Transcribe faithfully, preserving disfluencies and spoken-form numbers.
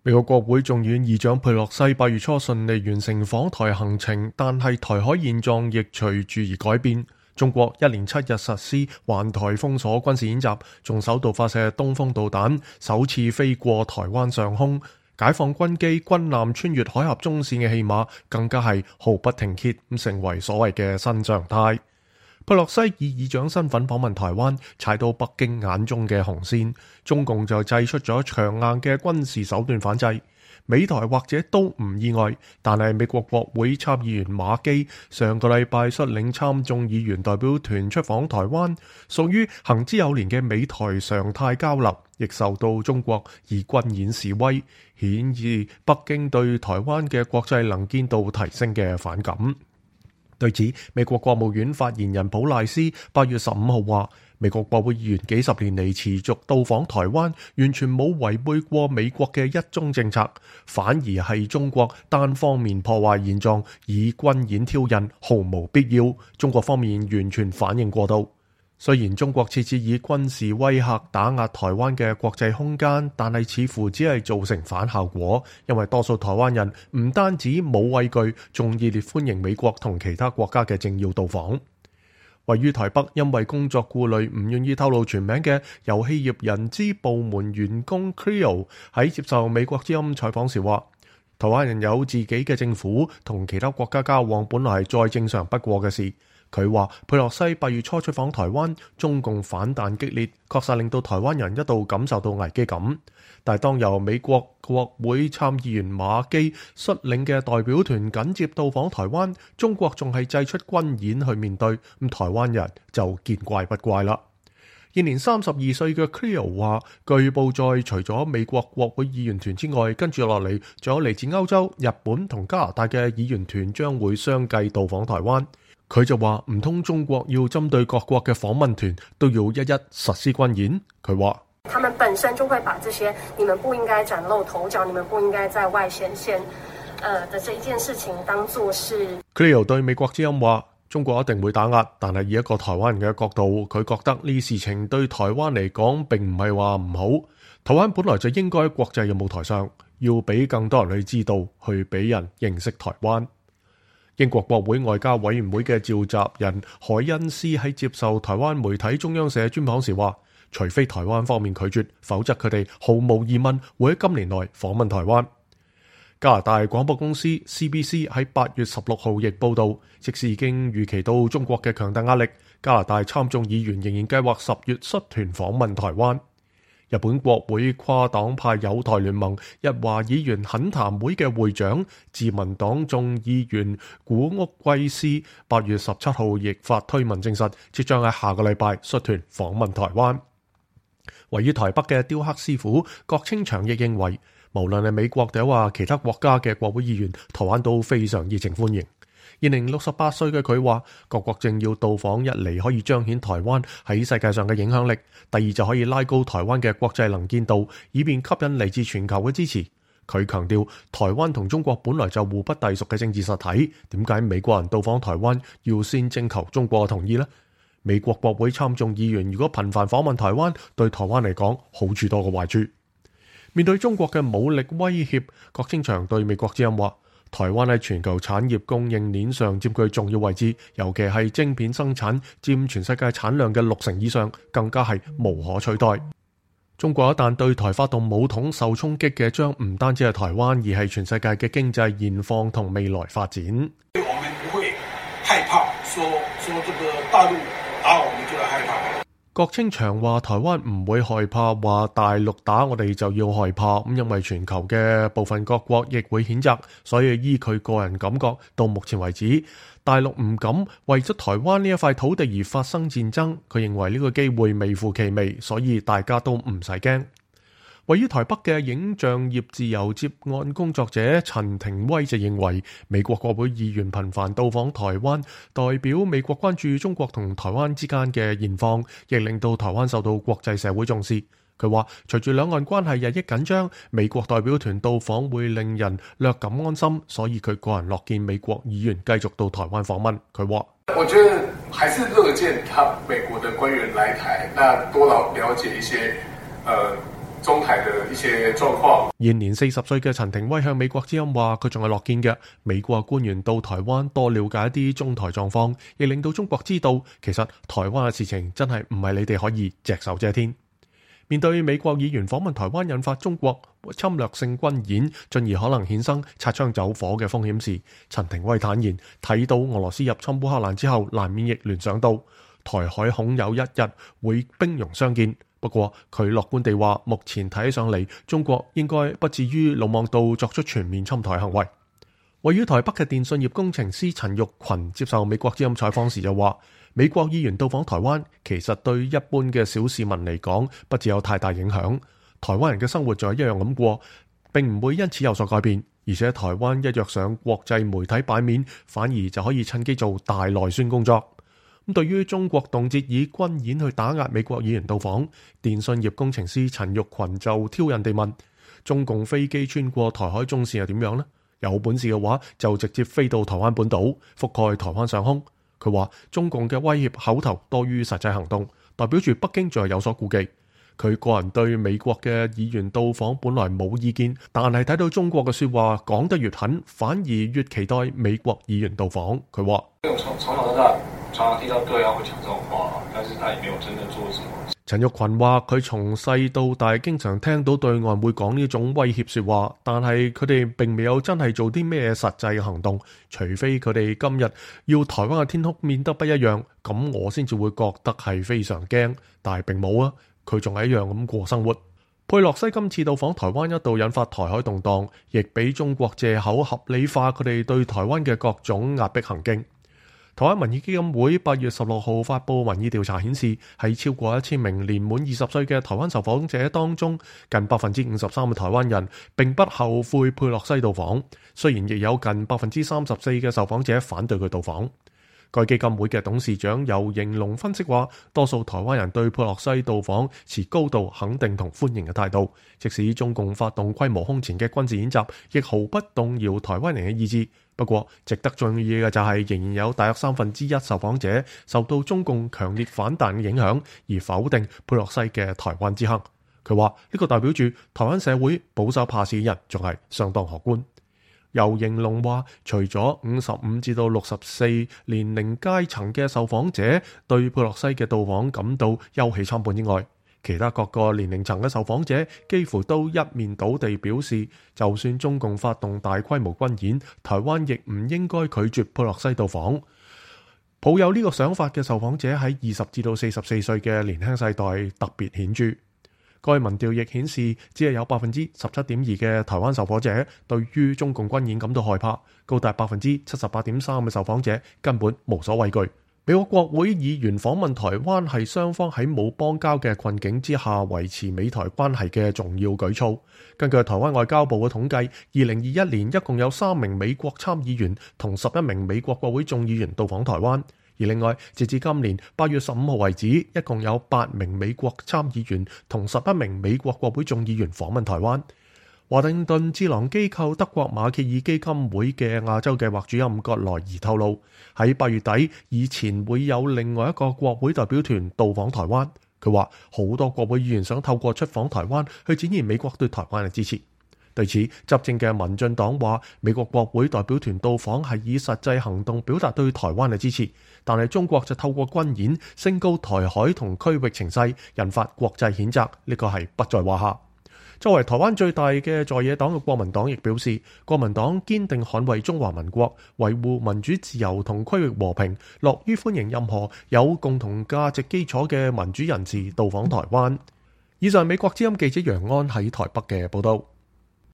美國國會眾院議長佩洛西八月初順利完成訪台行程，但係台海現狀亦隨住而改變。中國一連七日實施環台封鎖軍事演習，仲首度發射東風導彈，首次飛過台灣上空。解放軍機、軍艦穿越海峽中線嘅戲碼，更加係毫不停歇，咁成為所謂嘅新常態。佩洛西以議長身份訪問台灣，踩到北京眼中嘅紅線，中共就祭出咗強硬嘅軍事手段反制。美台或者都唔意外，但係美國國會參議員馬基上個禮拜率領參眾議員代表團出訪台灣，屬於行之有年嘅美台常態交流，亦受到中國以軍演示威，顯示北京對台灣嘅國際能見度提升嘅反感。對此，美國國務院發言人普賴斯八月十五號話，美國國會議員幾十年嚟持續到訪台灣，完全冇違背過美國嘅一中政策，反而係中國單方面破壞現狀，以軍演挑釁，毫無必要。中國方面完全反應過度。雖然中國設置以軍事威嚇打壓台灣嘅國際空間，但係似乎只係造成反效果，因為多數台灣人唔單止冇畏懼，仲熱烈歡迎美國同其他國家嘅政要到訪。位於台北，因為工作顧慮唔願意透露全名嘅遊戲業人資部門員工 Creo 喺接受美國之音採訪時話，台灣人有自己嘅政府，同其他國家交往本來係再正常不過嘅事。佢話佩洛西八月初出訪台灣，中共反彈激烈，確實令到台灣人一度感受到危機感。但係當由美國國會參議員馬基率領嘅代表團緊接到訪台灣，中國仲係祭出軍演去面對，咁台灣人就見怪不怪啦。現年三十二歲嘅 Creo 話，據報在除咗美國國會議員團之外，跟住落嚟仲有嚟自歐洲、日本同加拿大嘅議員團將會相繼到訪台灣。佢就話唔通中國要針對各國嘅訪問團都要一一實施軍演？佢話他們本身就會把這些你們不應該嶄露頭角，你們不應該在外顯現呃的這一件事情當作是。Creo 對美國之音話，中國一定會打壓，但係以一個台灣人嘅角度，佢覺得呢事情對台灣嚟講並唔係話唔好。台灣本來就應該喺國際嘅舞台上，要俾更多人去知道，去俾人認識台灣。英國國會外交委員會嘅召集人海恩斯喺接受台灣媒體中央社專訪時話，除非台灣方面拒絕，否則佢哋毫無疑問會喺今年內訪問台灣。加拿大廣播公司 C B C 喺八月十六號亦報道，即使已經預期到中國嘅強大壓力，加拿大參眾議員仍然計劃十月率團訪問台灣。日本國會跨黨派友台聯盟日華議員懇談會嘅會長自民黨眾議員古屋圭司八月十七號亦發推文證實，即將喺下個禮拜率團訪問台灣。位於台北嘅雕刻師傅郭清祥亦認為，無論係美國定話其他國家嘅國會議員，台灣都非常熱情歡迎。現年六十八歲嘅佢話，各國政要到訪一嚟可以彰顯台灣喺世界上嘅影響力，第二就可以拉高台灣嘅國際能見度，以便吸引嚟自全球嘅支持。佢強調，台灣同中國本來就互不隸屬嘅政治實體，點解美國人到訪台灣要先徵求中國嘅同意呢？美國國會參眾議員如果頻繁訪問台灣，對台灣嚟講好處多過壞處。面對中國嘅武力威脅，郭清祥對美國之音話，台灣喺全球產業供應鏈上佔據重要位置，尤其係晶片生產佔全世界產量嘅六成以上，更加係無可取代。中國一旦對台發動武統，受衝擊嘅將唔單止係台灣，而係全世界嘅經濟現況同未來發展。我們不會害怕說，說這個大陸打我們就要害怕。郭清祥話，台灣唔會害怕話大陸打我哋就要害怕，咁因為全球嘅部分各國亦會譴責，所以依佢個人感覺，到目前為止，大陸唔敢為咗台灣呢一塊土地而發生戰爭。佢認為呢個機會微乎其微，所以大家都唔使驚。位於台北嘅影像業自由接案工作者陳庭威就認為，美國國會議員頻繁到訪台灣，代表美國關注中國同台灣之間嘅現況，亦令到台灣受到國際社會重視。佢話，隨住兩岸關係日益緊張，美國代表團到訪會令人略感安心，所以佢個人樂見美國議員繼續到台灣訪問。佢話，我覺得還是樂見他美國的官員來台，那多了了解一些，呃中台嘅一些狀況。現年四十歲嘅陳庭威向美國之音話：佢仲係樂見嘅，美國官員到台灣多了解一啲中台狀況，亦令到中國知道其實台灣嘅事情真係唔係你哋可以隻手遮天。面對美國議員訪問台灣引發中國侵略性軍演，進而可能衍生擦槍走火嘅風險時，陳庭威坦言睇到俄羅斯入侵烏克蘭之後，難免亦聯想到台海恐有一日會兵戎相見。不過佢樂觀地話，目前睇起上嚟，中國應該不至於魯莽到作出全面侵台行為。位於台北嘅電信業工程師陳玉群接受美國之音採訪時就話，美國議員到訪台灣，其實對一般嘅小市民嚟講，不致有太大影響。台灣人嘅生活就係一樣咁過，並唔會因此有所改變。而且台灣一躍上國際媒體版面，反而就可以趁機做大內宣工作。咁對於中國動輒以軍演去打壓美國議員到訪，電信業工程師陳玉群就挑釁地問：中共飛機穿過台海中線又點樣呢？有本事嘅話，就直接飛到台灣本島，覆蓋台灣上空。佢話中共嘅威脅口頭多於實際行動，代表住北京仲係有所顧忌。佢個人對美國嘅議員到訪本來冇意見，但係睇到中國嘅說話講得越狠，反而越期待美國議員到訪。佢話：從從小到大常常聽到對岸會講這種話，但是他也沒有真正做什麼。陳玉群話：佢從細到大經常聽到對岸會講呢種威脅說話，但係佢哋並未有真係做啲咩實際嘅行動，除非佢哋今日要台灣嘅天空變得不一樣，咁我先至會覺得係非常驚，但係並冇啊。佢仲係一樣咁過生活。佩洛西今次到訪台灣一度引發台海動盪，亦俾中國借口合理化佢哋對台灣嘅各種壓迫行徑。台灣民意基金會八月十六號發布民意調查顯示，喺超過一千名年滿二十歲嘅台灣受訪者當中，近百分之五十三嘅台灣人並不後悔佩洛西到訪，雖然亦有近百分之三十四嘅受訪者反對佢到訪。該基金會嘅董事長游盈隆分析話，多數台灣人對佩洛西到訪持高度肯定同歡迎嘅態度，即使中共發動規模空前嘅軍事演習，亦毫不動搖台灣人嘅意志。不過，值得注意嘅就係，仍然有大約三分之一受訪者受到中共強烈反彈嘅影響，而否定佩洛西嘅台灣之行。佢話呢個代表住台灣社會保守怕事嘅人仲係相當可觀。游盈隆話，除咗五十五至到六十四年齡階層嘅受訪者對佩洛西嘅到訪感到憂喜參半之外，其他各個年齡層嘅受訪者幾乎都一面倒地表示，就算中共發動大規模軍演，台灣亦唔應該拒絕佩洛西到訪。抱有呢個想法嘅受訪者喺二十至到四十四歲嘅年輕世代特別顯著。該民調亦顯示，只係有百分之十七點二嘅台灣受訪者對於中共軍演感到害怕，高達百分之七十八點三嘅受訪者根本無所畏懼。美國國會議員訪問台灣係雙方喺冇邦交嘅困境之下維持美台關係嘅重要舉措。根據台灣外交部嘅統計，二零二一年一共有三名美國參議員同十一名美國國會眾議員到訪台灣。而另外，截至今年八月十五號為止，一共有八名美國參議員同十一名美國國會眾議員訪問台灣。華盛頓智囊機構德國馬歇爾基金會嘅亞洲計劃主任葛萊儀透露，喺八月底以前會有另外一個國會代表團到訪台灣。佢話好多國會議員想透過出訪台灣去展現美國對台灣嘅支持。對此，執政嘅民進黨話，美國國會代表團到訪係以實際行動表達對台灣嘅支持，但係中國就透過軍演升高台海同區域情勢，引發國際譴責，呢個係不在話下。作為台灣最大嘅在野黨嘅國民黨亦表示，國民黨堅定捍衛中華民國，維護民主自由同區域和平，樂於歡迎任何有共同價值基礎嘅民主人士到訪台灣。以上美國之音記者楊安喺台北嘅報道。